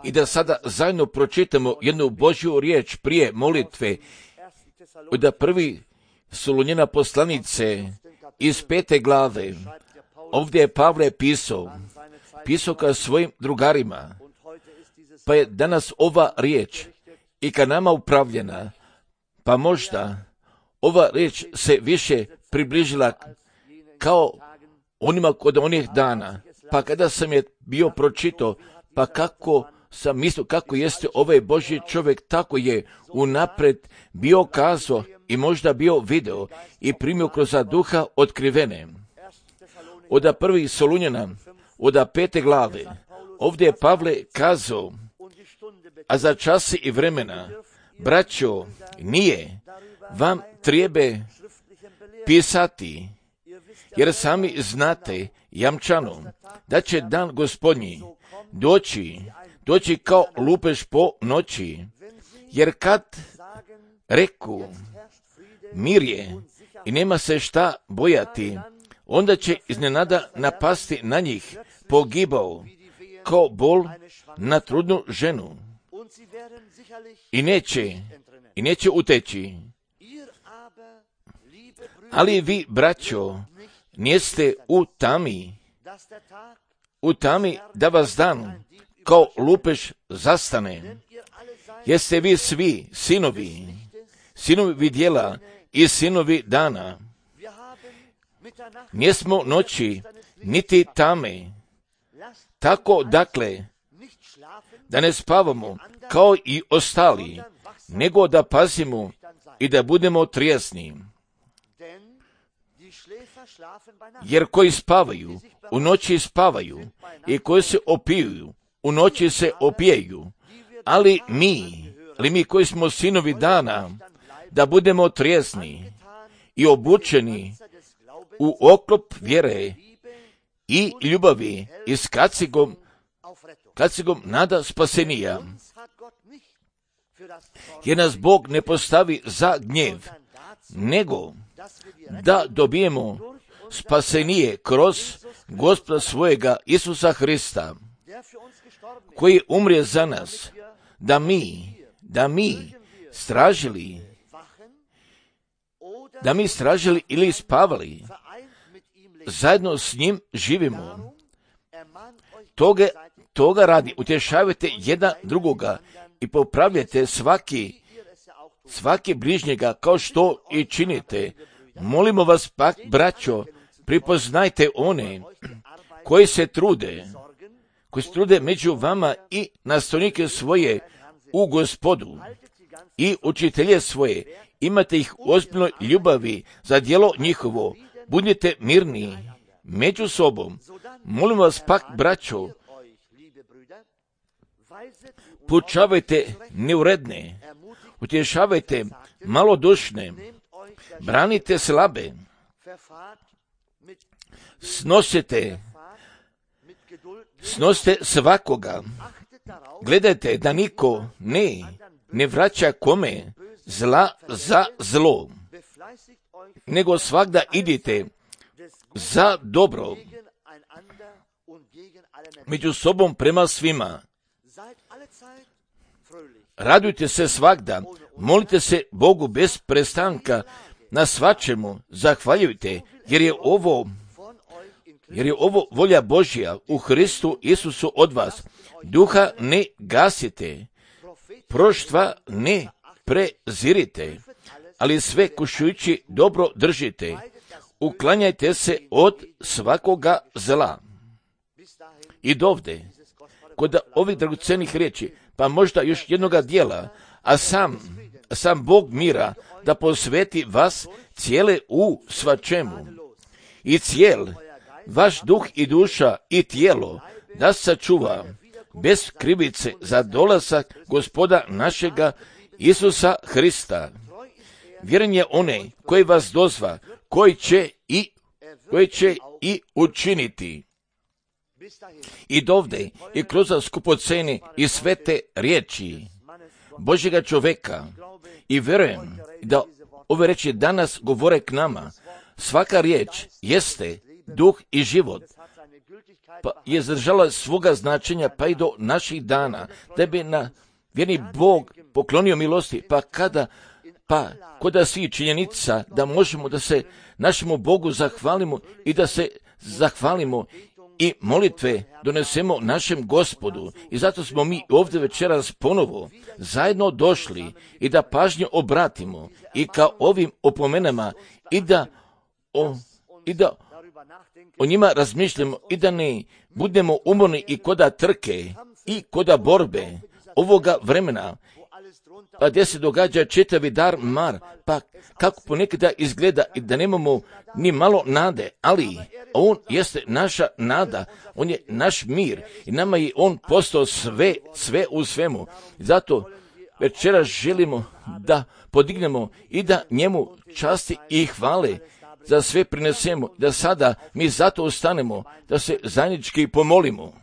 I da sada zajedno pročitamo jednu Božju riječ prije molitve od prvi Solunjena poslanice iz 5. glave. Ovdje je Pavle pisao ka svojim drugarima, pa je danas ova riječ i ka nama upravljena, pa možda ova riječ se više približila kao onima kod onih dana, pa kada sam je bio pročitao, pa kako sam mislio kako jeste ovaj Božji čovjek, tako je unaprijed bio kazao i možda bio video i primio kroz duha otkrivene. Od prvih Solunjena, od 5. glave, ovdje je Pavle kazao, a za časi i vremena, braćo, nije vam treba pisati, jer sami znate jamčano da će dan Gospodnji doći kao lupež po noći, jer kad reku mir je i nema se šta bojati, onda će iznenada napasti na njih pogibao kao bol na trudnu ženu i neće uteći. Ali vi, braćo, niste u tami da vas dan kao lupež zastane. Jeste vi svi sinovi vidjela i sinovi dana. Nismo noći niti tame. Tako dakle, da ne spavamo kao i ostali, nego da pazimo i da budemo trijesni. Jer koji spavaju, u noći spavaju, i koji se opiju, u noći se opijaju. Ali mi koji smo sinovi dana, da budemo trijesni i obučeni u oklop vjere i ljubavi i s kacigom nada spasenija. Jer nas Bog ne postavi za gnjev, nego da dobijemo spasenije kroz Gospoda svojega Isusa Hrista, koji umrije za nas, da mi stražili ili spavali, zajedno s njim živimo. Toga radi, utješavajte jedan drugoga i popravljajte svaki bližnjega kao što i činite. Molimo vas pak, braćo, pripoznajte one koji se trude među vama i nastavnike svoje u Gospodu i učitelje svoje. Imate ih u ozbiljnoj ljubavi za djelo njihovo. Budite mirni među sobom. Molim vas pak, braćo, poučavajte neuredne, utješavajte malodušne, branite slabe, snosite svakoga, gledajte da niko ne vraća kome zla za zlo, nego svagda idite za dobro među sobom prema svima. Radujte se svagda, molite se Bogu bez prestanka, na svačemu zahvaljujte, jer je ovo volja Božja u Hristu Isusu od vas. Duha ne gasite, proštva ne prezirite, ali sve kušujući dobro držite. Uklanjajte se od svakoga zla. I dovde, kod ovih dragocenih riječi, pa možda još jednoga dijela, a sam Bog mira da posveti vas cijele u svačemu. I cijel vaš duh i duša i tijelo da sačuva bez krivice za dolazak Gospoda našega Isusa Hrista. Vjeren je onaj koji vas dozva, koji će i učiniti. I dovde i kroz skupocene i svete riječi Božjega čoveka. I vjerujem da ove riječi danas govore k nama. Svaka riječ jeste duh i život. pa je zadržala svoga značenja pa i do naših dana, da bi na vjerni Bog poklonio milosti, pa koda svi činjenica da možemo da se našemu Bogu zahvalimo i da se zahvalimo i molitve donesemo našem Gospodu. I zato smo mi ovdje večeras ponovo zajedno došli i da pažnju obratimo i ka ovim opomenama i da o njima razmišljamo i da ne budemo umorni i koda trke i koda borbe ovoga vremena, pa gdje se događa čitavi dar mar, pa kako ponekada izgleda i da nemamo ni malo nade, ali on jeste naša nada, on je naš mir i nama je on postao sve u svemu. Zato večeras želimo da podignemo i da njemu časti i hvale za sve prinesemo, da sada mi zato ustanemo, da se zajednički pomolimo.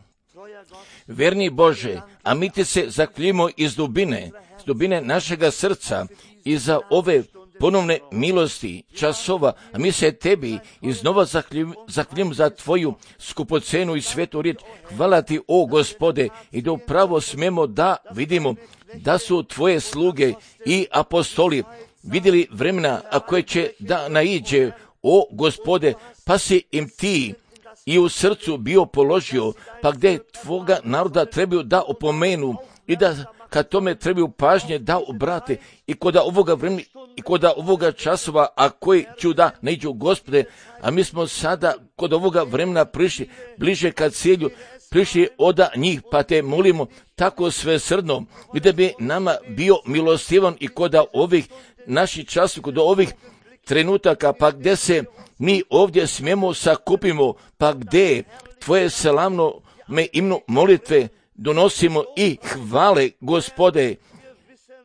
Verni Bože, a mi ti se zahvaljujemo iz dubine našega srca i za ove ponovne milosti časova, a mi se tebi iznova zahvaljujemo za tvoju skupocenu i svetu riječ. Hvala ti, o Gospode, i da upravo smemo da vidimo da su tvoje sluge i apostoli vidjeli vremena, a koje će da naiđe, o Gospode, pa si im ti i u srcu bio položio, pa gdje tvoga naroda trebaju da opomenu i da kad tome trebaju pažnje da obrate i kod ovoga vremena i kod ovoga časova, a koji ću da naiđu, Gospode, a mi smo sada kod ovoga vremena prišli bliže ka cilju, prišli od njih, pa te molimo tako svesrdno i da bi nama bio milostivan i kod ovih naših časova, kod ovih trenutaka, pa gdje se mi ovdje smijemo sakupimo, pa gdje tvoje slavno imenu molitve donosimo i hvale, Gospode,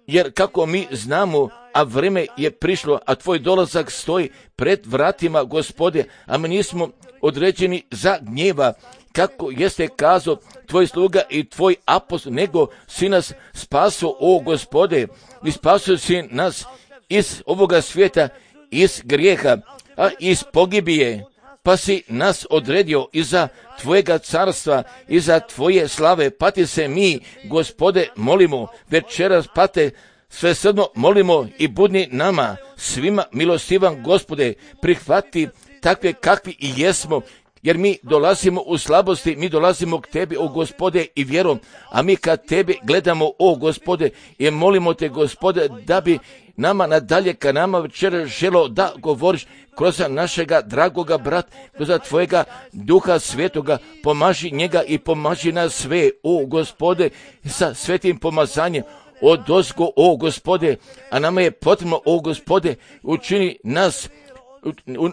jer kako mi znamo, a vreme je prišlo, a tvoj dolazak stoji pred vratima, Gospode, a mi nismo određeni za gnjeva, kako jeste kazao tvoj sluga i tvoj apostol, nego si nas spasio, o Gospode, i spasio si nas iz ovoga svijeta, iz grijeha, a iz pogibije, pa si nas odredio iza tvojega carstva, iza tvoje slave, pa ti se mi, Gospode, molimo večeras, pa te svesrdno molimo i budni nama svima milostivan, Gospode, prihvati takve kakvi i jesmo, jer mi dolazimo u slabosti, mi dolazimo k tebi, o Gospode, i vjerom, a mi kad tebe gledamo, o Gospode, i molimo te, Gospode, da bi nama nadalje ka nama večera želo da govoriš kroz našega dragoga brata, kroz tvojega Duha Svetoga, pomaži njega i pomaži nas sve, o Gospode, sa svetim pomazanjem odozgo, o Gospode, a nama je potrebno, o Gospode,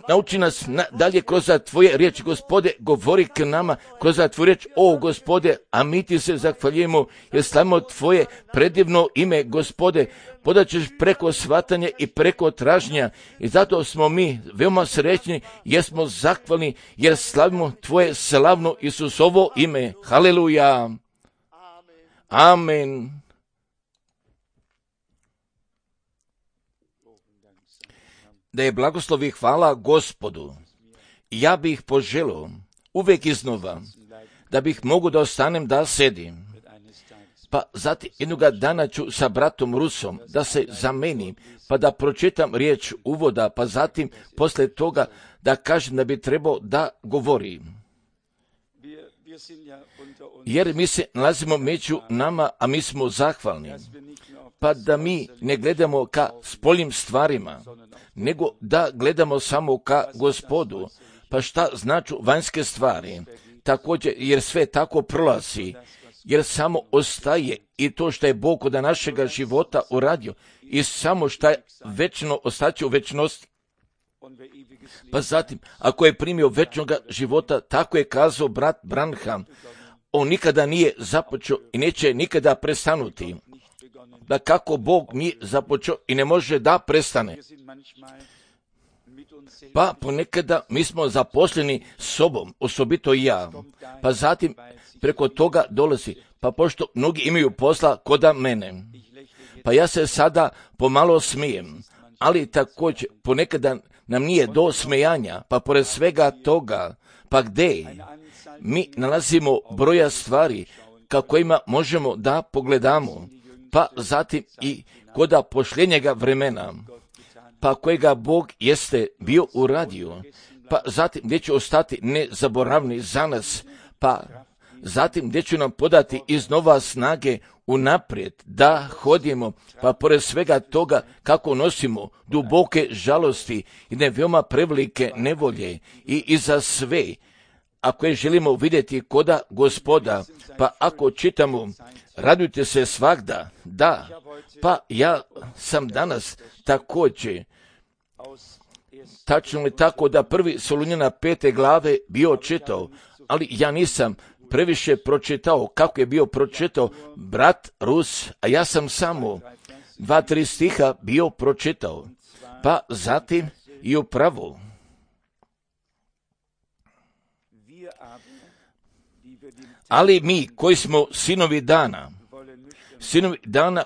nauči nas dalje kroz tvoje riječi, Gospode, govori k nama kroz tvoju riječ, o Gospode, a mi ti se zahvaljujemo jer slavimo tvoje predivno ime, Gospode, podaćeš preko shvatanja i preko traženja i zato smo mi veoma srećni jer smo zahvalni jer slavimo tvoje slavno Isusovo ime. Haleluja. Amen. Da je blagoslov i hvala Gospodu. Ja bih poželio uvijek iznova da bih mogu da ostanem da sedim. Pa zatim jednoga dana ću sa bratom Rusom da se zamenim, pa da pročitam riječ uvoda, pa zatim posle toga da kažem da bi trebao da govori. Jer mi se nalazimo među nama, a mi smo zahvalni. Pa da mi ne gledamo ka spoljnim stvarima, nego da gledamo samo ka Gospodu. Pa šta značu vanjske stvari? Također, jer sve tako prolazi, jer samo ostaje i to što je Bog od našega života uradio i samo što je večno ostaće u večnosti. Pa zatim, ako je primio večnog života, tako je kazao brat Branham, on nikada nije započeo i neće nikada prestanuti. Da kako Bog nije započeo i ne može da prestane. Pa ponekada mi smo zaposleni sobom, osobito i ja. Pa zatim preko toga dolazi, pa pošto mnogi imaju posla koda mene. Pa ja se sada pomalo smijem, ali također ponekada nam nije do smejanja, pa pored svega toga, pa gdje? mi nalazimo broja stvari kojima možemo da pogledamo, pa zatim i kod pošljenjega vremena, pa kojega Bog jeste bio uradio, pa zatim gdje će ostati nezaboravni za nas, pa zatim gdje će nam podati iznova snage unaprijed da hodimo, pa pored svega toga kako nosimo duboke žalosti i veoma prevelike nevolje i iza sve, ako je želimo vidjeti koda Gospoda, pa ako čitamo radujte se svagda, da, pa ja sam danas također, tačno li tako da 1. Solunjana 5. glave bio čitao, ali ja nisam previše pročitao kako je bio pročitao brat Rus, a ja sam samo 2-3 stiha bio pročitao, pa zatim i upravo. Ali mi koji smo sinovi dana,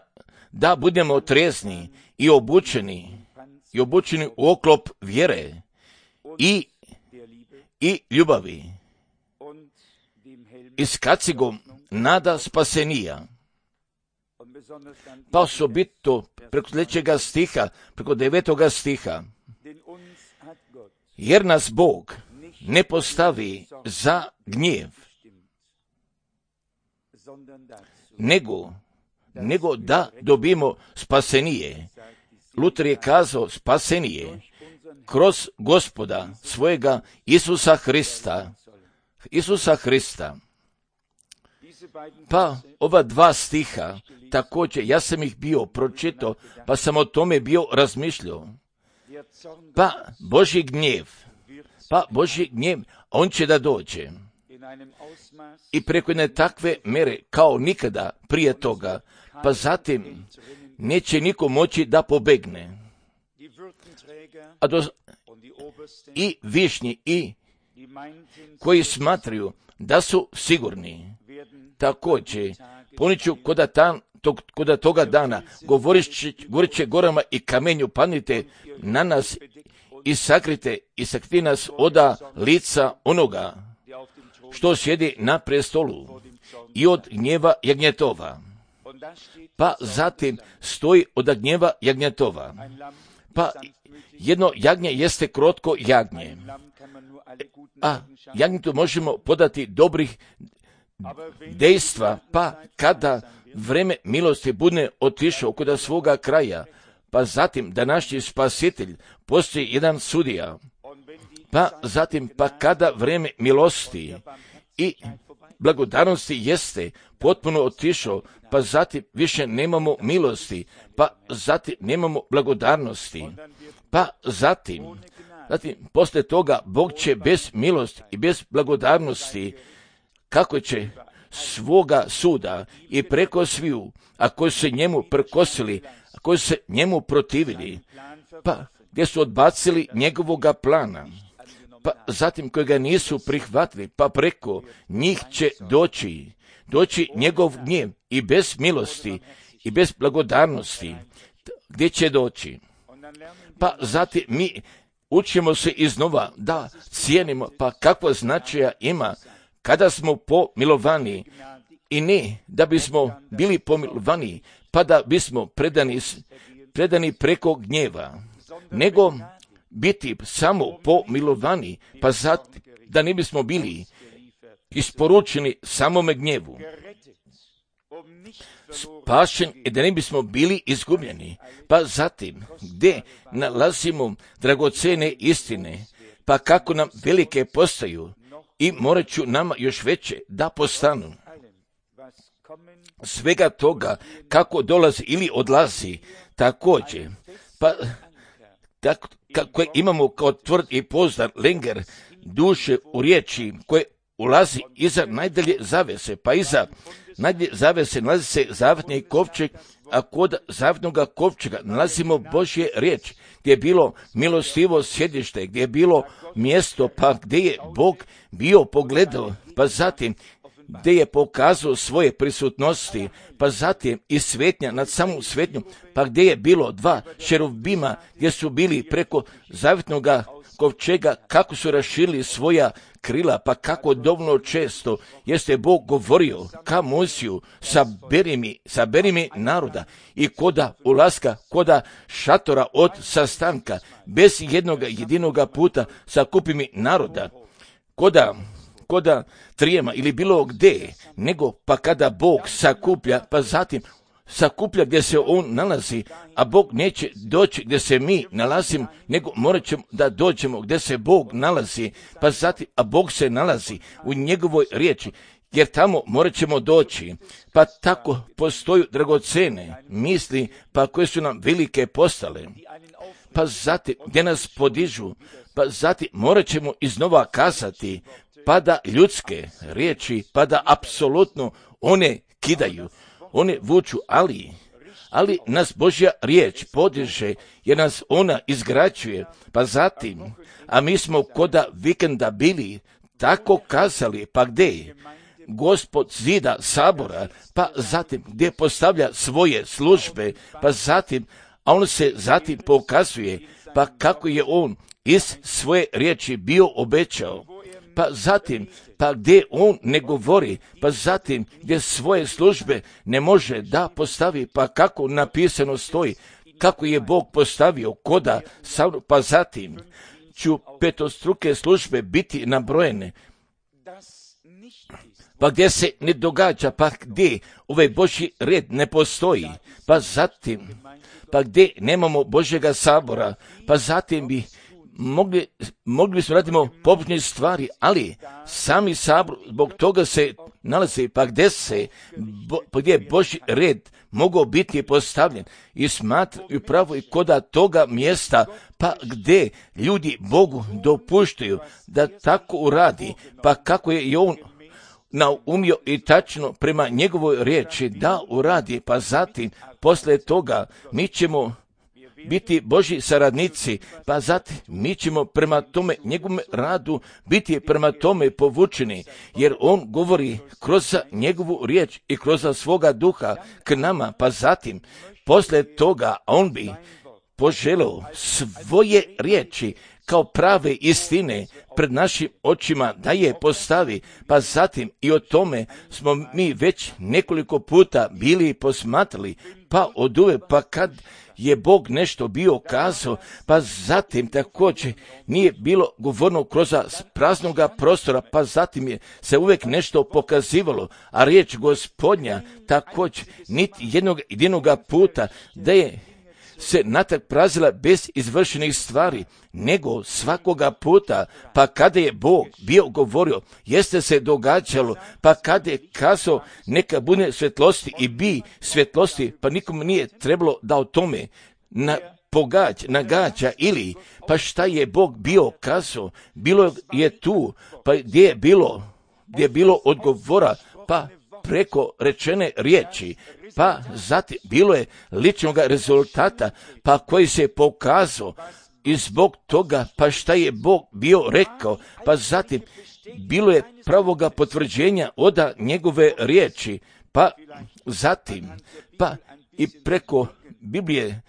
da budemo trezni i obučeni u oklop vjere i ljubavi i s kacigom nada spasenija. Pa osobito preko sljedećega stiha, preko 9. stiha, jer nas Bog ne postavi za gnjev, nego da dobimo spasenije. Luter je kazao spasenije kroz Gospoda svojega Isusa Hrista. Pa ova 2 stiha, također ja sam ih bio pročitao, pa sam o tome bio razmišljao. Pa Božji gnjev, on će da dođe. I preko jedne takve mere kao nikada prije toga, pa zatim neće niko moći da pobegne. I višnji i koji smatraju da su sigurni, također poniću koda toga dana, govorit će gorama i kamenju, padnite na nas i sakrite nas oda lica onoga što sjedi na prestolu i od gnjeva jagnjetova. Pa zatim stoji od gnjeva jagnjetova. Pa jedno jagnje jeste krotko jagnje, a jagnjetu možemo podati dobrih dejstva, pa kada vreme milosti bude otišao kod svoga kraja, pa zatim da naš spasitelj postoji jedan sudija, pa zatim pa kada vreme milosti i blagodarnosti jeste potpuno otišao, pa zatim više nemamo milosti, pa zatim nemamo blagodarnosti, pa zatim poslije toga Bog će bez milosti i bez blagodarnosti, kako će svoga suda i preko sviju, a koji su se njemu prkosili, a koji su se njemu protivili, pa gdje su odbacili njegovoga plana, pa zatim koji ga nisu prihvatili, pa preko njih će doći njegov gnjev i bez milosti i bez blagodarnosti, gdje će doći. Pa zatim mi učimo se iznova da cijenimo, pa kakvo značaja ima kada smo pomilovani, i ne da bismo bili pomilovani, pa da bismo predani preko gnjeva, nego biti samo pomilovani, pa da ne bismo bili isporučeni samome gnjevu, spašen i da ne bismo bili izgubljeni. Pa zatim, gdje nalazimo dragocene istine, pa kako nam velike postaju i morat ću nama još veće da postanu. Svega toga kako dolazi ili odlazi, također, pa kako imamo kao tvrd i pouzdan lenger duše u riječi koje ulazi iza najdalje zavese, pa iza najdalje zavese nalazi se zavetni kovčeg, a kod zavetnog kovčega nalazimo Božje riječ, gdje je bilo milostivo sjedište, gdje je bilo mjesto, pa gdje je Bog bio pogledao, pa zatim gdje je pokazao svoje prisutnosti, pa zatim i svetnja nad samu svetnju, pa gdje je bilo 2 šerubima gdje su bili preko zavetnog kovčega, kako su raširili svoja krila, pa kako dovoljno često jeste Bog govorio ka Mojsiju, saberi mi naroda, i koda ulaska, koda šatora od sastanka, bez jedinoga puta sakupi mi naroda, koda trijema ili bilo gdje, nego pa kada Bog sakuplja, pa zatim sakuplja gdje se on nalazi, a Bog neće doći gdje se mi nalazimo, nego morat ćemo da dođemo gdje se Bog nalazi, pa zatim, a Bog se nalazi u njegovoj riječi, jer tamo morat ćemo doći. Pa tako postoju dragocene misli, pa koje su nam velike postale, pa zatim gdje nas podižu, pa zatim morat ćemo iznova kazati, pa da ljudske riječi, pa da apsolutno one kidaju, one vuču, ali nas Božja riječ podiže, jer nas ona izgrađuje, pa zatim, a mi smo koda vikenda bili tako kazali, pa gdje? Gospod zida sabora, pa zatim gdje postavlja svoje službe, pa zatim, a on se zatim pokazuje, pa kako je on iz svoje riječi bio obećao, pa zatim, pa gdje on ne govori, pa zatim gdje svoje službe ne može da postavi, pa kako napisano stoji, kako je Bog postavio koda, pa zatim ću petostruke službe biti nabrojene, pa gdje se ne događa, pa gdje ovaj Božji red ne postoji, pa zatim, pa gdje nemamo Božjega sabora, pa zatim bi mogli bismo radimo pobožne stvari, ali sami sabor zbog toga se nalazi, pa gdje je Božji red mogao biti postavljen i smatraju pravo i koda toga mjesta, pa gdje ljudi Bogu dopuštaju da tako uradi, pa kako je i on naumio i tačno prema njegovoj riječi da uradi, pa zatim poslije toga mi ćemo biti Božji saradnici, pa zatim mi ćemo prema tome njegovom radu biti prema tome povučeni, jer on govori kroz njegovu riječ i kroz svoga duha k nama, pa zatim poslije toga on bi poželio svoje riječi kao prave istine pred našim očima da je postavi, pa zatim i o tome smo mi već nekoliko puta bili posmatrali, pa oduvek, pa kad je Bog nešto bio kazao, pa zatim također nije bilo govorno kroz praznoga prostora, pa zatim je se uvijek nešto pokazivalo, a riječ Gospodnja također niti jedinoga puta da je se natrag prazila bez izvršenih stvari, nego svakoga puta, pa kada je Bog bio govorio, jeste se događalo, pa kada je kazao neka bude svjetlosti i bi svjetlosti, pa nikom nije trebalo da o tome nagađa ili, pa šta je Bog bio kazao, bilo je tu, pa gdje je bilo odgovora, pa preko rečene riječi, pa zatim bilo je ličnog rezultata, pa koji se pokazao i zbog toga, pa šta je Bog bio rekao, pa zatim bilo je pravoga potvrđenja od njegove riječi, pa zatim, pa i preko Biblije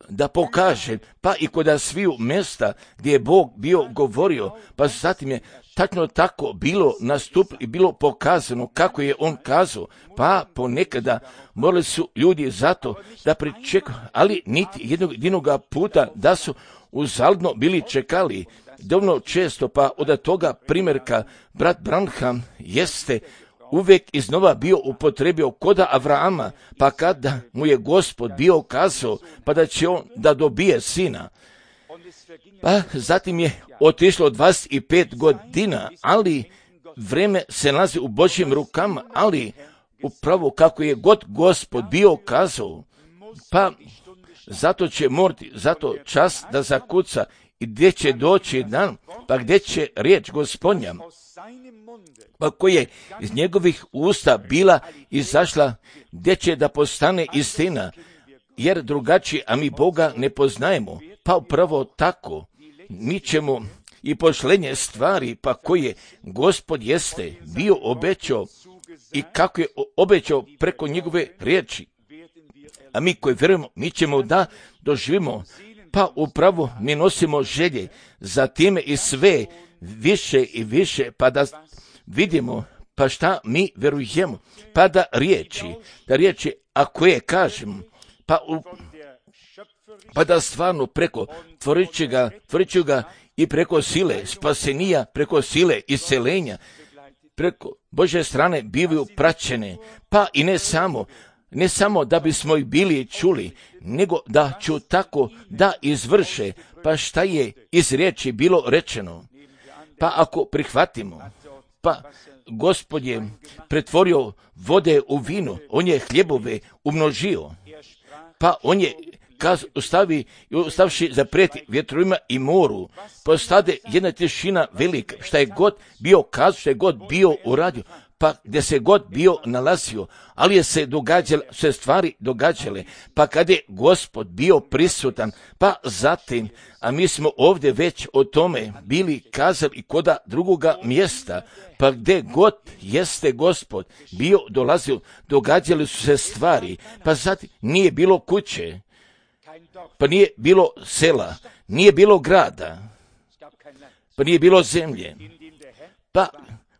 da pokaže, pa i kod sviju mjesta gdje je Bog bio govorio, pa zatim je tačno tako bilo nastupilo i bilo pokazano kako je on kazao, pa ponekada morali su ljudi zato da pričekaju, ali niti jednog puta da su uzaludno bili čekali. Dovoljno često, pa od toga primjerka brat Branham jeste uvijek iznova bio upotrebio koda Avrama, pa kada mu je Gospod bio kazao, pa da će on da dobije sina. Pa zatim je otišlo 25 godina, ali vreme se nalazi u Božjim rukama, ali upravo kako je god Gospod bio kazao, pa zato će morati, zato čas da zakuca i gdje će doći dan, pa gdje će riječ Gospodnja, pa koja je iz njegovih usta bila izašla, gdje će da postane istina, jer drugačije, a mi Boga ne poznajemo, pa upravo tako mi ćemo i pošlenje stvari, pa koje Gospod jeste bio obećao i kako je obećao preko njegove riječi. A mi koji vjerujemo, mi ćemo da doživimo, Pa upravo mi nosimo želje za time i sve više i više, pa da vidimo pa šta mi verujemo, pa da riječi ako je kažem, pa da stvarno preko tvorićega i preko sile spasenija, preko sile iscelenja, preko Božje strane bivaju praćene, pa i ne samo da bismo ih bili čuli, nego da ću tako da izvrše, pa šta je iz riječi bilo rečeno. Pa ako prihvatimo, pa Gospod je pretvorio vode u vino, on je hljebove umnožio, pa on je ostavši zaprijeti vjetrovima i moru, postade jedna tišina velika, šta je god bio kazao, šta je god bio uradio, pa gdje se god bio nalazio, ali je se stvari događale, pa kad je Gospod bio prisutan, pa zatim, a mi smo ovdje već o tome bili kazali koda drugoga mjesta, pa gdje god jeste Gospod bio dolazio, događale su se stvari, pa zatim nije bilo kuće, pa nije bilo sela, nije bilo grada, pa nije bilo zemlje, pa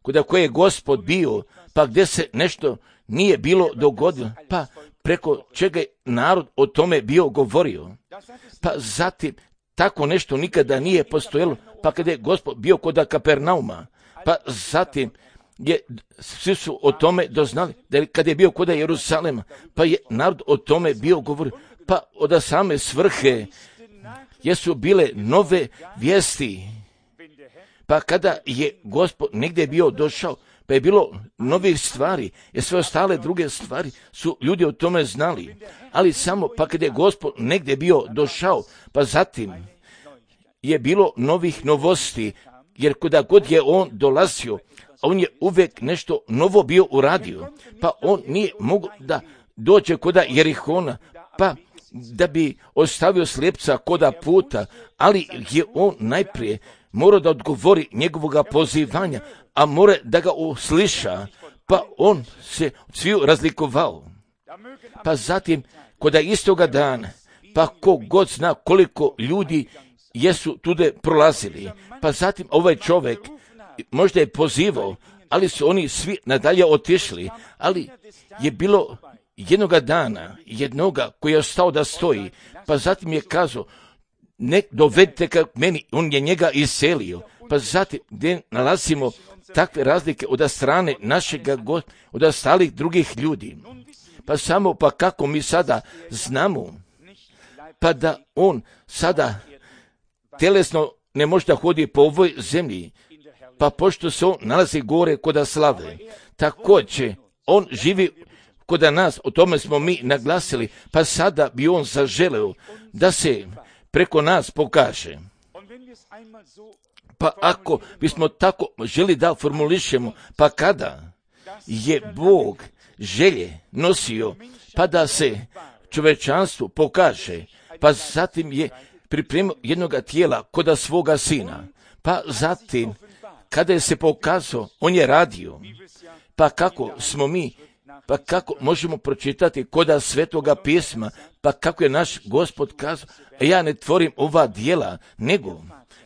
kuda koje je Gospod bio, pa gdje se nešto nije bilo dogodilo, pa preko čega je narod o tome bio govorio, pa zatim tako nešto nikada nije postojalo, pa kada je Gospod bio kod Kapernauma, pa zatim svi su o tome doznali, da kada je bio kod Jerusalema, pa je narod o tome bio govorio, pa od same svrhe jesu bile nove vijesti, pa kada je Gospod negdje bio došao, pa je bilo novih stvari, jer sve ostale druge stvari su ljudi o tome znali, ali samo pa kada je Gospod negdje bio došao, pa zatim je bilo novih novosti, jer kuda god je on dolazio, on je uvijek nešto novo bio uradio, pa on nije mogao da dođe koda Jerihona, pa da bi ostavio slijepca koda puta, ali je on najprije mora da odgovori njegovoga pozivanja, a mora da ga usliša, pa on se sviju razlikovao. Pa zatim, koda istoga dana, pa ko god zna koliko ljudi jesu tude prolazili, pa zatim ovaj čovjek možda je pozivao, ali su oni svi nadalje otišli, ali je bilo jednoga dana, jednoga koji je ostao da stoji, pa zatim je kazao, ne dovedite ka meni, on je njega iselio, pa zatim gdje nalazimo takve razlike od strane našega od ostalih drugih ljudi, pa samo pa kako mi sada znamo, pa da on sada telesno ne može da hodi po ovoj zemlji, pa pošto se on nalazi gore koda slave, također on živi koda nas, o tome smo mi naglasili, pa sada bi on zaželeo da se preko nas pokaže. Pa ako bismo tako želi da formulišemo, pa kada je Bog želje nosio, pa da se čovečanstvu pokaže, pa zatim je pripremio jednoga tijela koda svoga sina, pa zatim kada je se pokazao, on je radio, pa kako smo mi, pa kako možemo pročitati koda Svetoga pisma, pa kako je naš Gospod kazao, ja ne tvorim ova djela,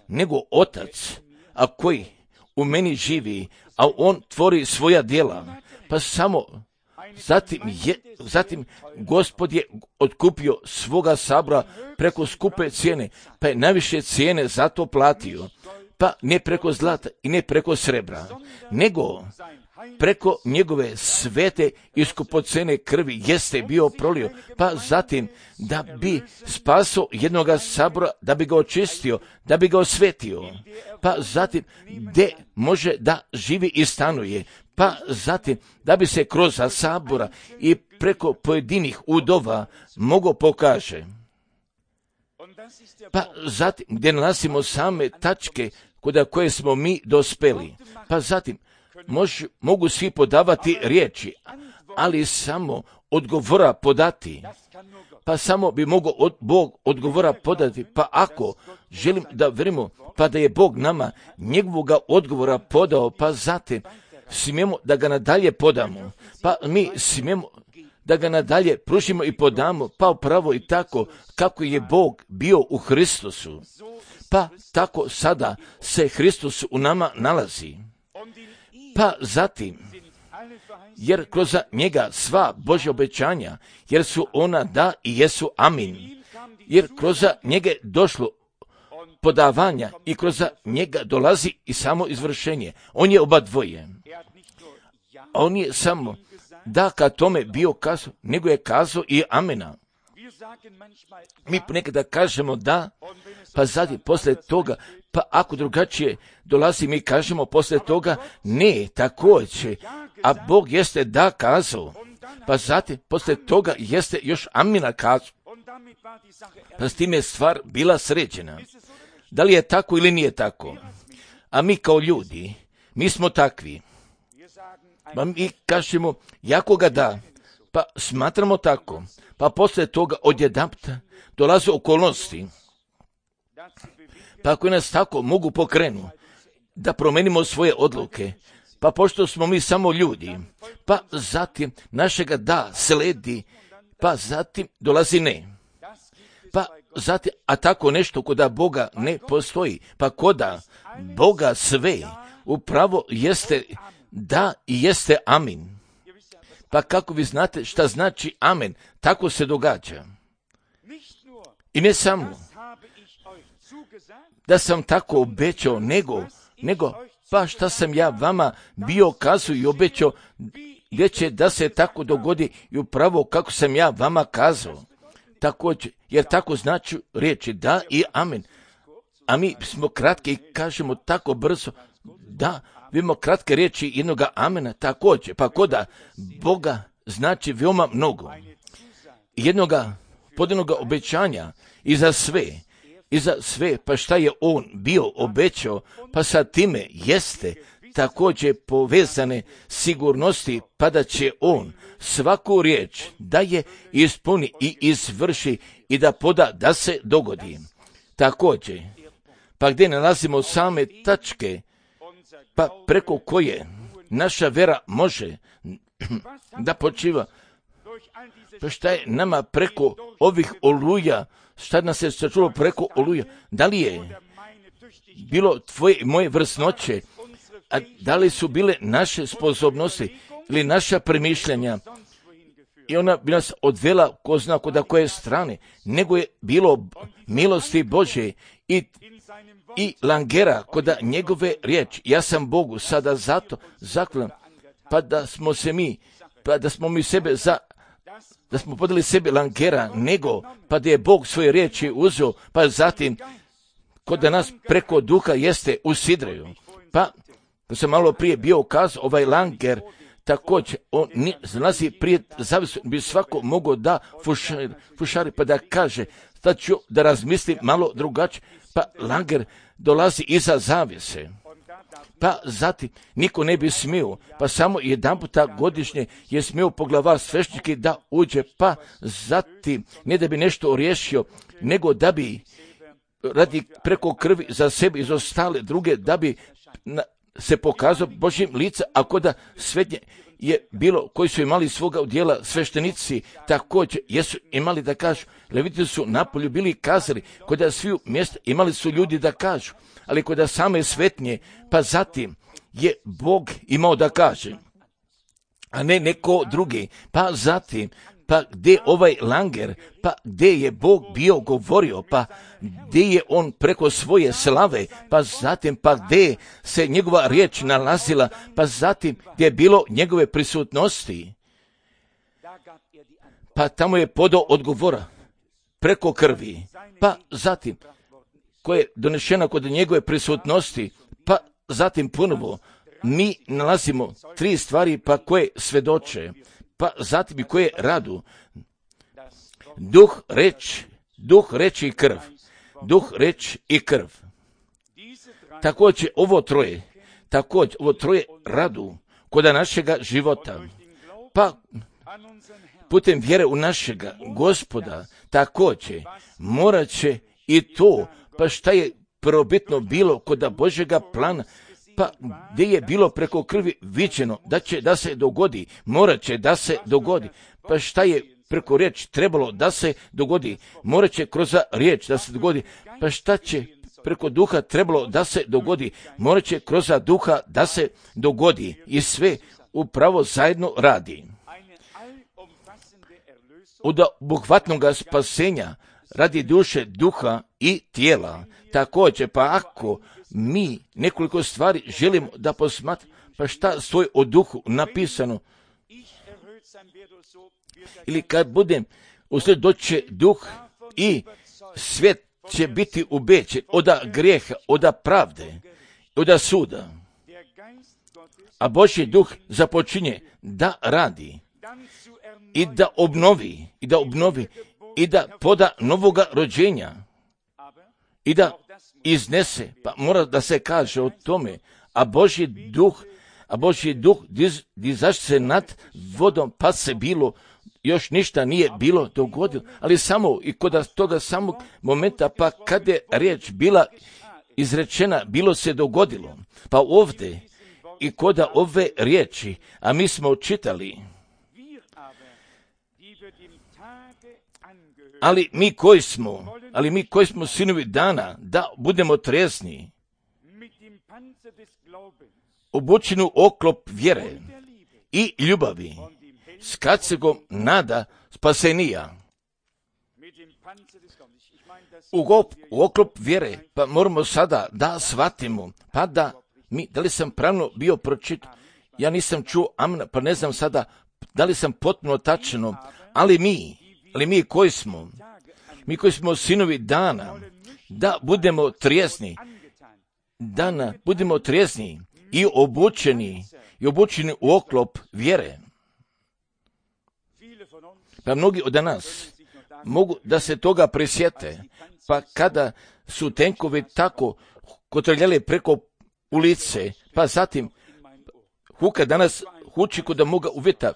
nego Otac, a koji u meni živi, a on tvori svoja djela, pa samo zatim Gospod je otkupio svoga sabora preko skupe cijene, pa je najviše cijene za to platio, pa ne preko zlata i ne preko srebra, nego preko njegove svete i skupocene krvi jeste bio prolio, pa zatim da bi spasao jednoga sabora, da bi ga očistio, da bi ga osvetio, pa zatim gdje može da živi i stanuje, pa zatim da bi se kroz sabora i preko pojedinih udova mogo pokaže. Pa zatim gdje nalazimo same tačke kod koje smo mi dospeli, pa zatim mogu svi podavati riječi, ali samo odgovora podati, pa samo bi mogao Bog odgovora podati, pa ako želim da verimo, pa da je Bog nama njegovoga odgovora podao, pa zatim smijemo da ga nadalje podamo, pa mi smijemo da ga nadalje pružimo i podamo, pa upravo i tako kako je Bog bio u Hristusu, pa tako sada se Hristos u nama nalazi. Pa zatim, jer kroz njega sva Božja obećanja, jer su ona da i jesu amin, jer kroz njega je došlo podavanja i kroz njega dolazi i samo izvršenje. On je oba dvoje. On je samo da ka tome bio kazao, nego je kazao i amena. Mi ponekada kažemo da, pa zatim poslije toga, pa ako drugačije dolazi, mi kažemo poslije toga ne, također, a Bog jeste da kazao, pa zatim poslije toga jeste još amina kazao. Pa s tim je stvar bila sređena. Da li je tako ili nije tako? A mi kao ljudi, mi smo takvi. Pa mi kažemo, jako ga da, pa smatramo tako, pa poslije toga odjedanput dolaze okolnosti, pa ako nas tako mogu pokrenuti, da promenimo svoje odluke, pa pošto smo mi samo ljudi, pa zatim našega da sledi, pa zatim dolazi ne. Pa zatim, a tako nešto koda Boga ne postoji, pa koda Boga sve upravo jeste da i jeste amin. Pa kako vi znate šta znači amen, tako se događa. I ne samo da sam tako obećao, nego pa šta sam ja vama bio kazao i obećao, gdje će da se tako dogodi i upravo kako sam ja vama kazao. Također, jer tako znači riječi da i amen. A mi smo kratki i kažemo tako brzo da, vidimo kratke riječi jednoga amena također, pa koda Boga znači veoma mnogo. Jednoga podanoga obećanja i za sve, pa šta je on bio obećao, pa sa time jeste također povezane sigurnosti, pa da će on svaku riječ da je ispuni i izvrši i da poda da se dogodi. Također, pa gdje nalazimo same tačke, pa preko koje naša vera može da počiva, pa šta je nama preko ovih oluja, šta nas je sačuvalo preko oluja, da li je bilo tvoje i moje vrsnoće, a da li su bile naše sposobnosti ili naša premišljanja, i ona bi nas odvela ko zna koda koje strane, nego je bilo milosti Božje i langera koda njegove riječi. Ja sam Bogu sada zato zaklan, pa da smo mi sebe da smo podali sebe langera, nego pa da je Bog svoje riječi uzeo, pa zatim kod nas preko duha jeste usidraju. Pa to sam malo prije bio ukazao, ovaj langer također, on nalazi prije zavisno, bi svako mogao da fušari, pa da kaže, sad ću da razmislim malo drugačije, pa langer dolazi iza zavise. Pa zatim niko ne bi smio, pa samo jedan puta godišnje je smio poglavar sveštenike da uđe, pa zatim ne da bi nešto riješio, nego da bi radi preko krvi za sebe i za ostale druge, da bi se pokazao Božjim lica, ako da svetnje je bilo koji su imali svoga udjela sveštenici, također jesu imali da kažu, leviti su napolju bili kazali, kod sviju mjesta imali su ljudi da kažu, ali kod same svetnje, pa zatim je Bog imao da kaže, a ne neko drugi, pa zatim, pa gdje ovaj langer, pa gdje je Bog bio govorio, pa gdje je on preko svoje slave, pa zatim pa gdje se njegova riječ nalazila, pa zatim gdje je bilo njegove prisutnosti, pa tamo je podao odgovora preko krvi, pa zatim koja je donešena kod njegove prisutnosti, pa zatim ponovo mi nalazimo 3 stvari pa koje svedoče, pa zatim i koje radu. Duh, reč i krv. Duh, reč i krv. Također ovo troje radu kod našega života. Pa putem vjere u našega Gospoda također morat će i to, pa šta je prvobitno bilo kod Božjega plana, pa gdje je bilo preko krvi viđeno da će da se dogodi, morat će da se dogodi, pa šta je preko riječi trebalo da se dogodi, morat će kroz riječ da se dogodi, pa šta će preko duha trebalo da se dogodi, morat će kroz duha da se dogodi i sve upravo zajedno radi. Od obuhvatnog spasenja radi duše, duha i tijela. Također, pa ako mi nekoliko stvari želimo da posmatramo, pa šta stoji o duhu napisano? Ili kad budem uslijed doće duh i svijet će biti ubećen od grijeha, od pravde, od suda. A Božji duh započinje da radi i da obnovi, i da poda novoga rođenja i da iznese, pa mora da se kaže o tome, a Božji duh dizaš se nad vodom, pa se bilo, još ništa nije bilo dogodilo, ali samo i kod toga samog momenta, pa kad je riječ bila izrečena, bilo se dogodilo. Pa ovdje i kod ove riječi, a mi smo čitali, ali mi koji smo sinovi dana, da budemo trijezni, obučeni u oklop vjere i ljubavi, s kacegom nada spasenija. U oklop vjere, pa moramo sada da shvatimo, pa da li sam pravno bio pročitao, ja nisam čuo amna, pa ne znam sada da li sam potpuno tačno, ali mi koji smo sinovi dana, da budemo trijezni, budemo trijezni i obučeni u oklop vjere. Pa mnogi od nas mogu da se toga prisjete, pa kada su tenkovi tako kotrljali preko ulice, pa zatim huka danas huči kod moga uvjeta,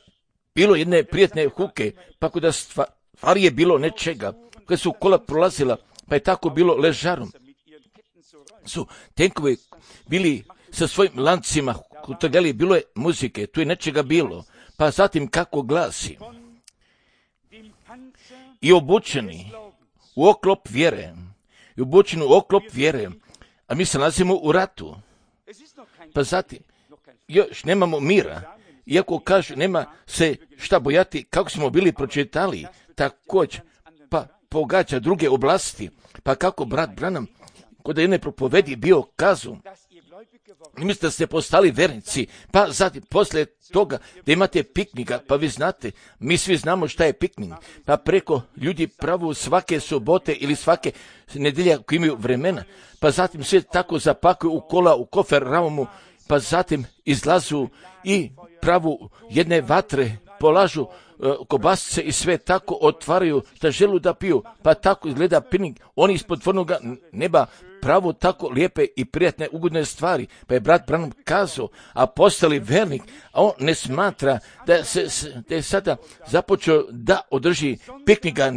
bilo jedne prijetne huke, pa kod stvari je bilo nečega, kada su kola prolazila, pa je tako bilo ležarom. Su tenkovi bili sa svojim lancima kotrljali, bilo je muzike, tu je nečega bilo, pa zatim kako glasi, i obučeni u oklop vjere, a mi se nalazimo u ratu. Pa zatim, još nemamo mira, iako kažu nema se šta bojati, kako smo bili pročitali, također, pa pogađa druge oblasti, pa kako brat Branham kod jedne propovedi bio kazu, mislite da ste postali vernici, pa zatim poslije toga da imate piknika, pa vi znate, mi svi znamo šta je piknik, pa preko ljudi pravu svake subote ili svake nedjelje koji imaju vremena, pa zatim sve tako zapakuju u kola, u kofer raumu, pa zatim izlazu i pravu jedne vatre, polažu kobasice i sve tako otvaraju da želu da piju, pa tako izgleda piknik, oni ispod tvornoga neba pravo tako lijepe i prijatne ugodne stvari, pa je brat Branham kazao, a postali vernik, a on ne smatra da je sada započeo da održi piknika,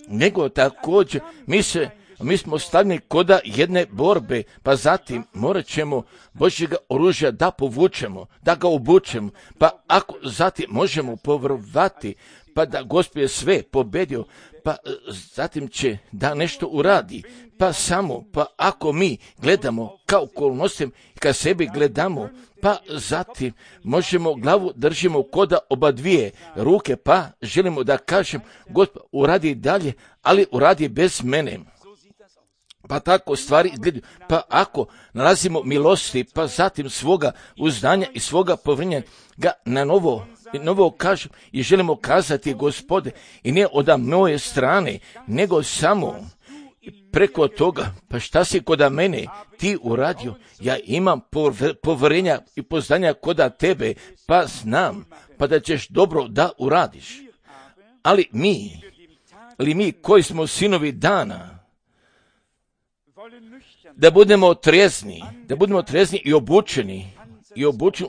nego također mi smo stavljeni koda jedne borbe, pa zatim morat ćemo Božjega oružja da povučemo, da ga obučemo, pa ako zatim možemo povjerovati, pa da Gospod je sve pobedio, pa zatim će da nešto uradi, pa ako mi gledamo kao okolnostima i kad sebi gledamo, pa zatim možemo glavu držimo koda oba dvije ruke, pa želimo da kažem, Gospod uradi dalje, ali uradi bez mene. Pa tako stvari izgledaju. Pa ako nalazimo milosti, pa zatim svoga uzdanja i svoga povjerenja ga na novo kažem i želimo kazati, Gospode, i ne od moje strane, nego samo preko toga, pa šta si koda mene ti uradio, ja imam povjerenja i poznanja koda tebe, pa znam, pa da ćeš dobro da uradiš. Ali mi koji smo sinovi dana, da budemo trijezni i obučeni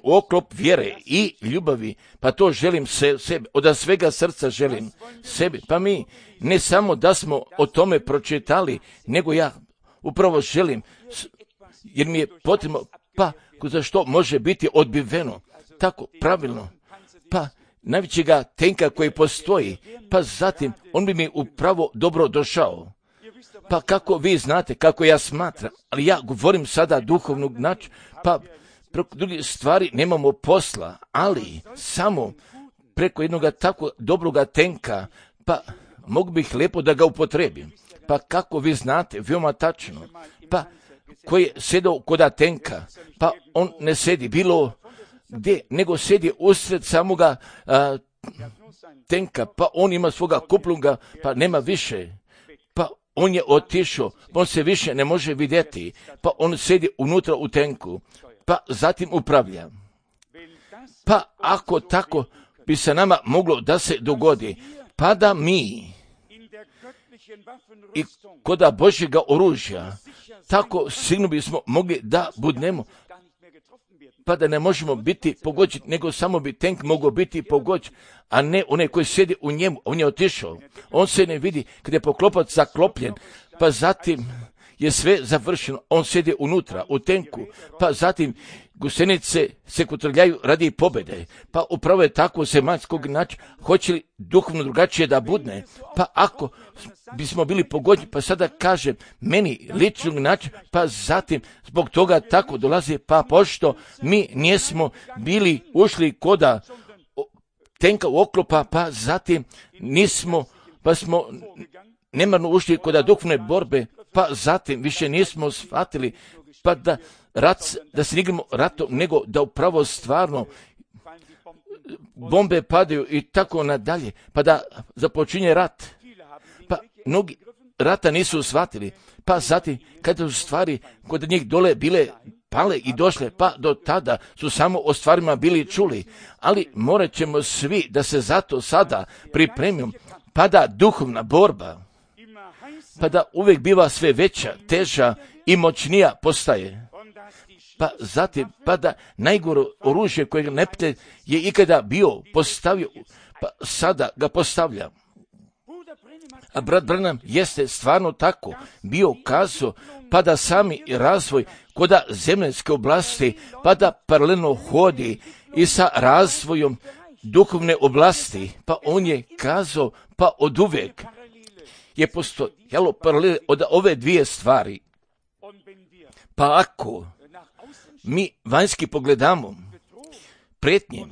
u oklop vjere i ljubavi, pa to želim sebi, od svega srca želim sebi, pa mi ne samo da smo o tome pročitali, nego ja upravo želim, jer mi je potrebno, pa za što može biti odbiveno, tako pravilno, pa najvećega tenka koji postoji, pa zatim on bi mi upravo dobro došao. Pa kako vi znate, kako ja smatram, ali ja govorim sada duhovnog načina, pa preko drugih stvari nemamo posla, ali samo preko jednog tako dobroga tenka, pa mogu bih lijepo da ga upotrebim. Pa kako vi znate, veoma tačno, pa koji je sedao koda tenka, pa on ne sedi bilo gdje, nego sedi usred samoga tenka, pa on ima svoga kuplunga, pa nema više, pa on je otišao, on se više ne može vidjeti, pa on sedi unutra u tenku, pa zatim upravlja. Pa ako tako bi se nama moglo da se dogodi, pa da mi i koda Božjega oružja, tako sigurno bismo mogli da budnemo, pa da ne možemo biti pogođeni, nego samo bi tenk mogao biti pogođen, a ne onaj koji sjedi u njemu, on je otišao. On se ne vidi kada je poklopac zaklopljen, pa zatim je sve završeno, on sjedi unutra, u tenku, pa zatim gusenice se kotrljaju radi pobjede, pa upravo je tako zemaljskog načina, hoće li duhovno drugačije da budne, pa ako bismo bili pogođeni, pa sada kažem, meni ličnog načina, pa zatim zbog toga tako dolazi, pa pošto mi nismo bili ušli koda tenka u oklopa, pa zatim nismo, pa smo nemarno ušli koda duhovne borbe, pa zatim više nismo shvatili, pa da se igramo ratom, nego da upravo stvarno bombe padaju i tako nadalje, pa da započinje rat. Pa mnogi rata nisu shvatili, pa zatim kada su stvari kod njih dole bile pale i došle, pa do tada su samo o stvarima bili čuli, ali morat ćemo svi da se zato sada pripremimo, pa da duhovna borba, pa da uvijek biva sve veća, teža i moćnija postaje. Pa zatim, pa da najgore oružje kojeg neprijatelj je ikada bio postavio, pa sada ga postavlja. A brat Branham jeste stvarno tako bio kazao, pa da sami razvoj koda zemaljske oblasti, pa da paralelno hodi i sa razvojom duhovne oblasti, pa on je kazao, pa od uvijek je postojalo paralel od ove dvije stvari. Pa ako mi vanjski pogledamo prijetnje,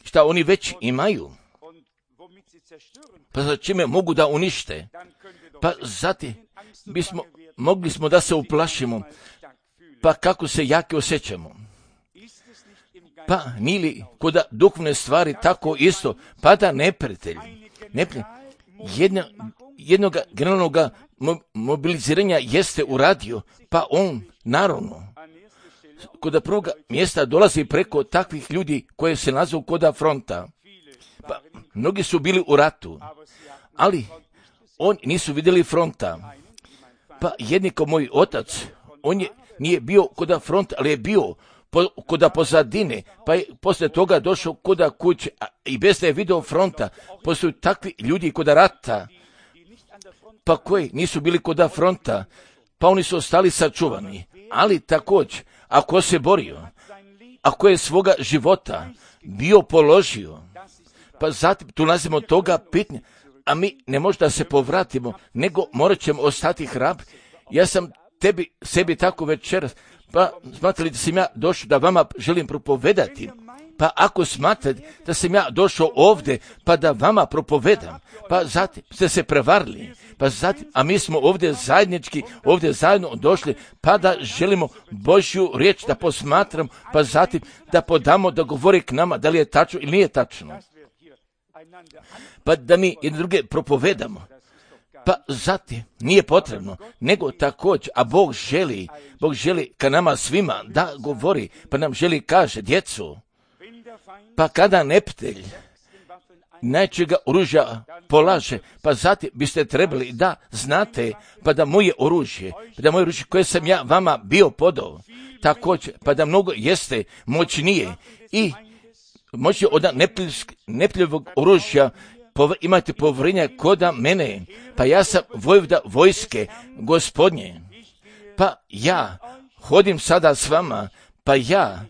šta oni već imaju, pa za čime mogu da unište, pa zatim mogli smo da se uplašimo, pa kako se jaki osjećamo. Pa nili koda duhovne stvari tako isto, pa da neprijatelj jednog generalnog mobiliziranja jeste uradio, pa on naravno kod prvog mjesta dolazi preko takvih ljudi koje se nazovu koda fronta. Pa mnogi su bili u ratu, ali oni nisu vidjeli fronta. Pa jedni kao moj otac, on nije bio koda fronta, ali je bio koda pozadine, pa je poslije toga došao koda kuće, i bez da je video fronta, postoju takvi ljudi koda rata, pa koji nisu bili koda fronta, pa oni su ostali sačuvani. Ali također, ako se borio, ako je svoga života bio položio, pa zatim tu nalazimo toga pitanja, a mi ne možemo da se povratimo, nego morat ćemo ostati hrabri. Ja sam sebi tako večeras, pa smatrali da sam ja došao da vama želim propovedati, pa ako smatrate da sam ja došao ovdje pa da vama propovedam, pa zatim ste se prevarili, pa zatim, a mi smo ovdje zajednički, ovdje zajedno došli, pa da želimo Božju riječ da posmatram, pa zatim da podamo da govori k nama da li je tačno ili nije tačno. Pa da mi jedne druge propovedamo. Pa zatim nije potrebno, nego također, a Bog želi ka nama svima da govori, pa nam želi kaže, djecu, pa kada neprijatelj najčega oružja polaže, pa zatim biste trebali da znate, pa da moje oružje koje sam ja vama bio podao, također, pa da mnogo jeste moćnije i moći od neprijateljevog oružja imate povjerenja koda mene, pa ja sam vojvoda vojske Gospodnje, pa ja hodim sada s vama, pa ja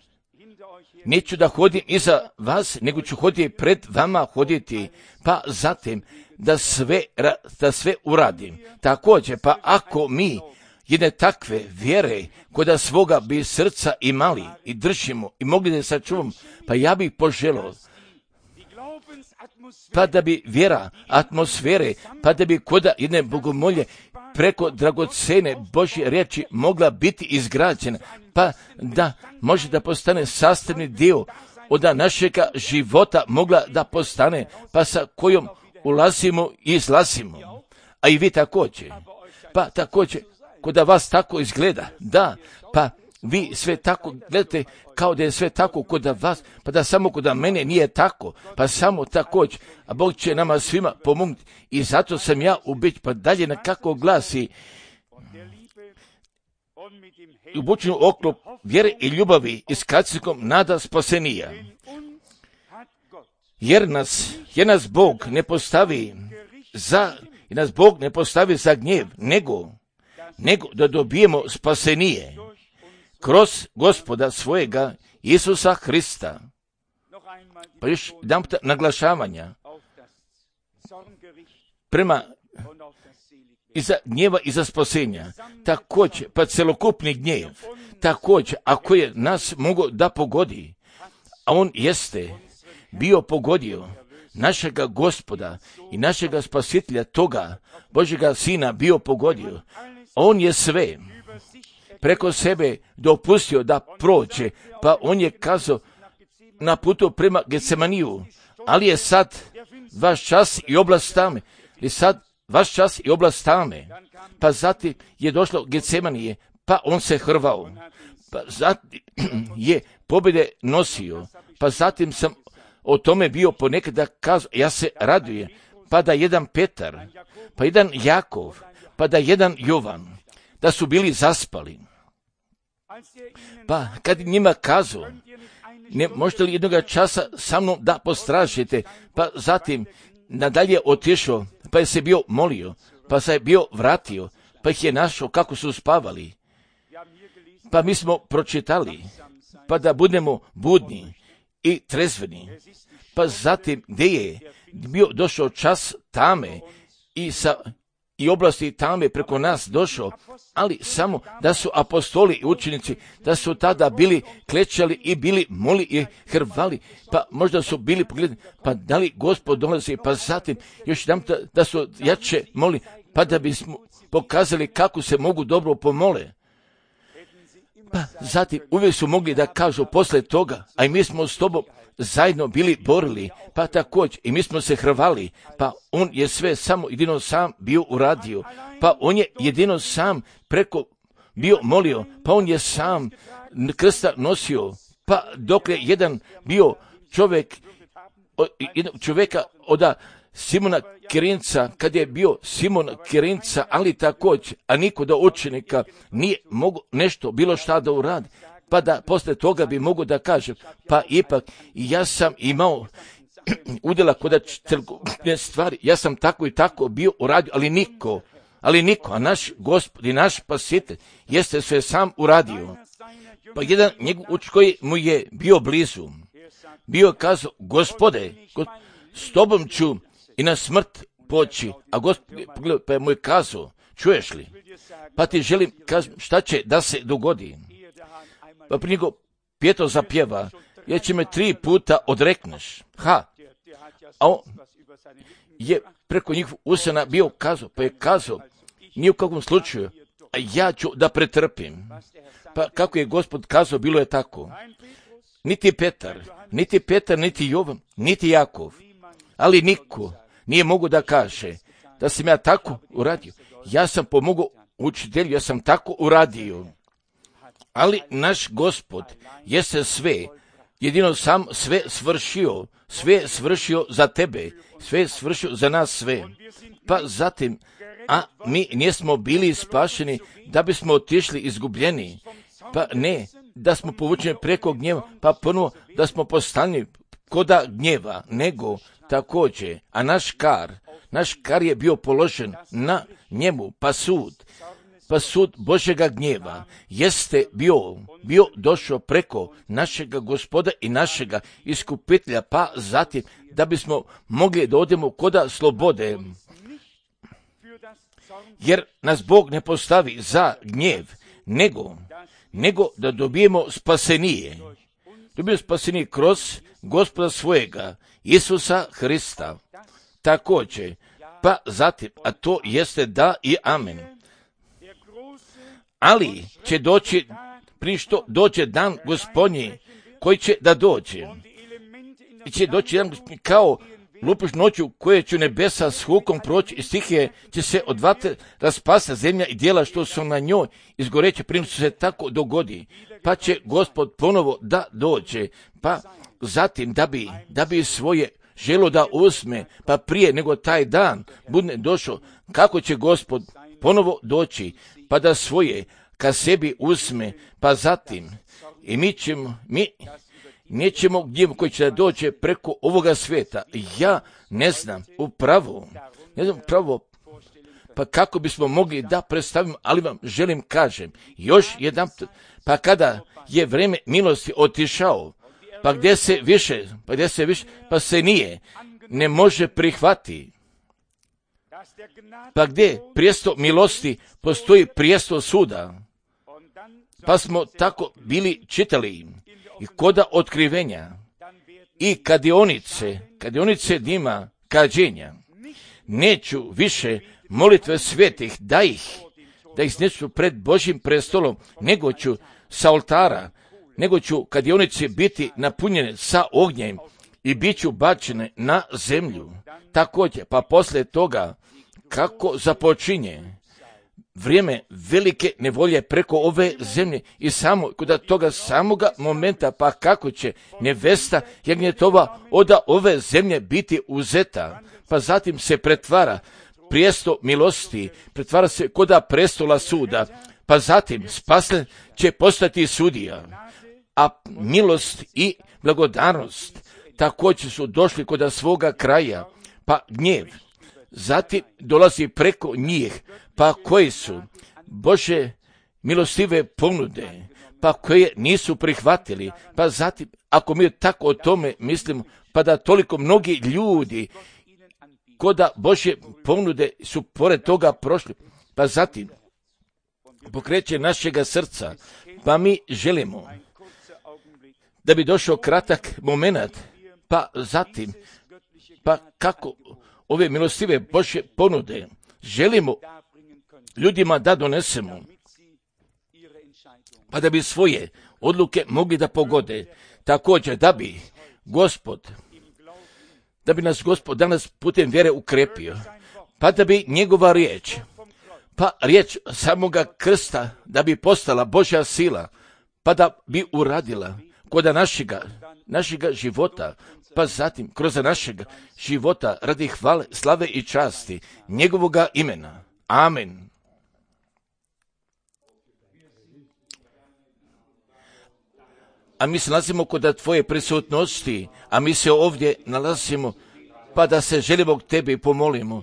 neću da hodim iza vas, nego ću hoditi pred vama hoditi, pa zatim da sve uradim. Također, pa ako mi jedne takve vjere koda svoga bi srca imali i držimo i mogli da sačuvamo, pa ja bih poželio, pa da bi vjera, atmosfere, pa da bi koda jedne bogomolje preko dragocene Božje riječi mogla biti izgrađena, pa da može da postane sastavni dio od našega života mogla da postane, pa sa kojom ulazimo i izlazimo. A i vi također. Pa također, koda vas tako izgleda, da, pa vi sve tako gledate kao da je sve tako koda vas, pa da samo koda mene nije tako, pa samo također, a Bog će nama svima pomognuti i zato sam ja ubeđen, pa dalje na kako glasi ubučenu oklop vjere i ljubavi i s kacikom nada spasenija. Jer nas Bog ne postavi za gnjev, nego da dobijemo spasenije kroz Gospoda svojega Isusa Hrista. Pa još jedan puta naglašavanja prema iza gnjeva i za spasenja. Također, pa celokupni gnjev, također, ako je nas mogao da pogodi, a on jeste bio pogodio našega Gospoda i našega Spasitelja, toga Božjega Sina bio pogodio. On je sve preko sebe dopustio da prođe, pa on je kazao na putu prema Getsemaniju, ali je sad vaš čas i oblast tame, pa zatim je došlo Getsemanije, pa on se hrvao, pa zatim je pobjede nosio, pa zatim sam o tome bio ponekad da kazao, ja se radujem, pa da jedan Petar, pa jedan Jakov, pa da jedan Jovan, da su bili zaspali. Pa kad njima kazao, ne možete li jednoga časa sa mnom da postražite, pa zatim nadalje otišao, pa je se bio molio, pa se je bio vratio, pa ih je našao kako su spavali. Pa mi smo pročitali, pa da budemo budni i trezveni. Pa zatim gdje je bio došao čas tame i oblasti tame preko nas došao, ali samo da su apostoli i učenici, da su tada bili klečali i bili moli i hrvali, pa možda su bili pogledani, pa da li Gospod dolazi, pa zatim još jedan da su jače moli, pa da bismo pokazali kako se mogu dobro pomole. Pa zatim uvijek su mogli da kažu posle toga, a i mi smo s tobom zajedno bili borili, pa također i mi smo se hrvali, pa on je sve samo jedino sam bio uradio, pa on je jedino sam preko bio molio, pa on je sam krsta nosio, pa dok je jedan bio čovjeka od Simona Kirinca, kad je bio Simon Kirinca, ali također, a niko do učenika nije mogu nešto bilo šta da uradi, pa da posle toga bi mogu da kažem, pa ipak ja sam imao udjela kod trgovine stvari, ja sam tako i tako bio uradio, ali niko, a naš Gospod i naš Spasitelj jeste sve sam uradio. Pa jedan njegov učenik koji mu je bio blizu, bio kazao, Gospode, s tobom ću i na smrt poći, a Gospod pa je mu je kazao, čuješ li, pa ti želim kazati šta će da se dogodi. Pa prije nego Pjetro zapjeva, jer će me 3 puta odrekneš. A on je preko njih usana bio kazao, pa je kazao, ni u kakvom slučaju, a ja ću da pretrpim. Pa kako je Gospod kazao, bilo je tako. Niti Petar, niti Jovan, niti Jakov, ali niko nije mogu da kaže da sam ja tako uradio. Ja sam pomogao učitelju, ja sam tako uradio. Ali naš Gospod jeste sve, jedino sam sve svršio za tebe, sve svršio za nas sve. Pa zatim, a mi nismo bili spašeni da bismo otišli izgubljeni, pa ne, da smo povučeni preko gnjeva, pa ponovo da smo postali koda gnjeva, nego također, a naš kar je bio položen na njemu, pa sud, pa sud Božjega gnjeva jeste bio došao preko našega Gospoda i našega iskupitelja, pa zatim da bismo mogli da odemo koda slobode. Jer nas Bog ne postavi za gnjev, nego da dobijemo spasenije. Dobijemo spasenije kroz Gospoda svojega, Isusa Hrista. Također, pa zatim, a to jeste da i amen. Ali će doći, prije što dođe dan Gospodnji, koji će da dođe. I će doći dan Gospodnji kao lupiš noću koje će nebesa s hukom proći i stihije će se od vatre raspasti zemlja i dijela što su na njoj izgoreće prije što se tako dogodi. Pa će Gospod ponovo da dođe, pa zatim da bi svoje želo da uzme, pa prije nego taj dan bude došao, kako će Gospod ponovo doći, pa da svoje ka sebi uzme, pa zatim i mi nećemo gnjev koji će da dođe preko ovoga svijeta. Ja ne znam upravo, pa kako bismo mogli da predstavimo, ali vam želim kažem, još jedan, pa kada je vrijeme milosti otišao, pa gdje se više, pa se ne može prihvati. Pa gdje prijestol milosti postoji prijestol suda. Pa smo tako bili čitali i koda otkrivenja i kadionice dima kađenja. Neću više molitve svetih da ih neću pred Božjim prestolom, nego ću sa oltara, nego ću kadionice biti napunjene sa ognjem i bit ću bačene na zemlju. Također, pa poslije toga, kako započinje vrijeme velike nevolje preko ove zemlje i samo kod toga samoga momenta, pa kako će nevesta jagnjetova od ove zemlje biti uzeta, pa zatim se pretvara prijestol milosti, pretvara se koda prestola suda, pa zatim spasen će postati sudija, a milost i blagodarnost također su došli koda svoga kraja, pa gnjev zatim dolazi preko njih, pa koji su Bože milostive ponude, pa koje nisu prihvatili, pa zatim, ako mi tako o tome mislimo, pa da toliko mnogi ljudi koda Božje ponude su pored toga prošli, pa zatim pokreće našega srca, pa mi želimo da bi došao kratak moment, pa zatim, pa kako ove milostive Božje ponude želimo ljudima da donesemo, pa da bi svoje odluke mogli da pogode. Također da bi nas Gospod danas putem vjere ukrepio, pa da bi njegova riječ, pa riječ samoga krsta, da bi postala Božja sila, pa da bi uradila kod našega života, pa zatim kroz našega života radi hvale, slave i časti njegovoga imena. Amen. A mi se nalazimo kod tvoje prisutnosti, a mi se ovdje nalazimo, pa da se želimo k tebi pomolimo.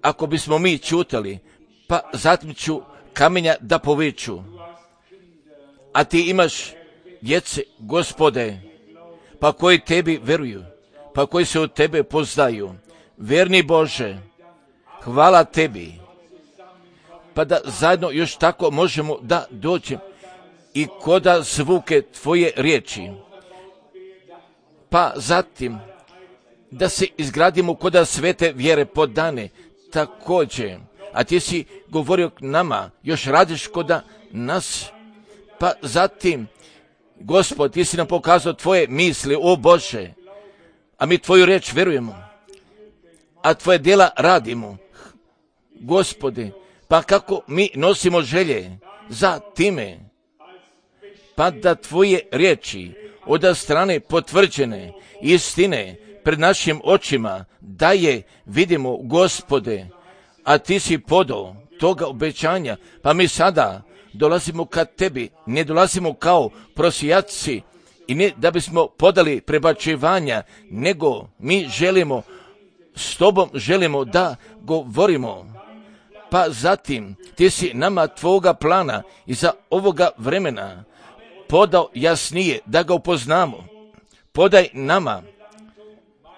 Ako bismo mi čutali, pa zatim ću kamenja da poveću. A ti imaš djece, Gospode, pa koji tebi veruju, pa koji se od tebe poznaju. Verni Bože, hvala tebi, pa da zajedno još tako možemo da dođemo i koda zvuke tvoje riječi, pa zatim da se izgradimo koda svete vjere podane također, a ti si govorio k nama, još radiš koda nas, pa zatim, Gospod, ti si nam pokazao tvoje misli, o Bože, a mi tvoju riječ verujemo, a tvoje djela radimo, Gospode, pa kako mi nosimo želje za time, pa da tvoje riječi od strane potvrđene istine pred našim očima da je vidimo, Gospode, a ti si podao toga obećanja, pa mi sada dolazimo kad tebi, ne dolazimo kao prosijaci i ne da bismo podali prebačivanja, nego mi želimo, s tobom želimo da govorimo, Pa zatim ti si nama tvoga plana i za ovoga vremena podao jasnije da ga upoznamo. Podaj nama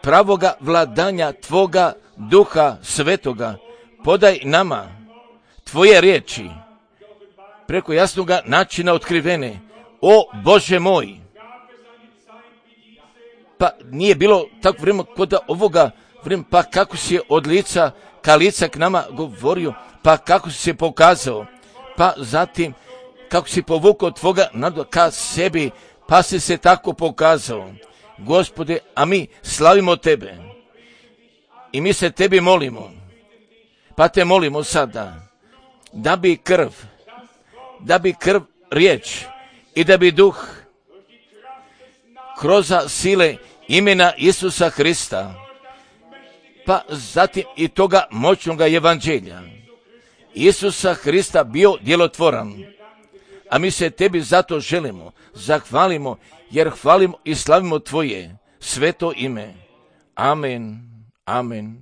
pravoga vladanja tvoga Duha Svetoga. Podaj nama tvoje riječi preko jasnoga načina otkrivene. O Bože moj! Pa nije bilo tako vremena kod ovoga vremena, pa kako si od lica ka lica k nama govorio, pa kako si se pokazao, pa zatim kako si povukao tvoga naroda ka sebi, pa si se tako pokazao. Gospode, a mi slavimo tebe i mi se tebi molimo, pa te molimo sada da bi krv riječ i da bi duh kroz sile imena Isusa Hrista, pa zatim i toga moćnoga evanđelja Isusa Hrista bio djelotvoran. A mi se tebi zato želimo, zahvalimo, jer hvalimo i slavimo tvoje sveto ime. Amen. Amen.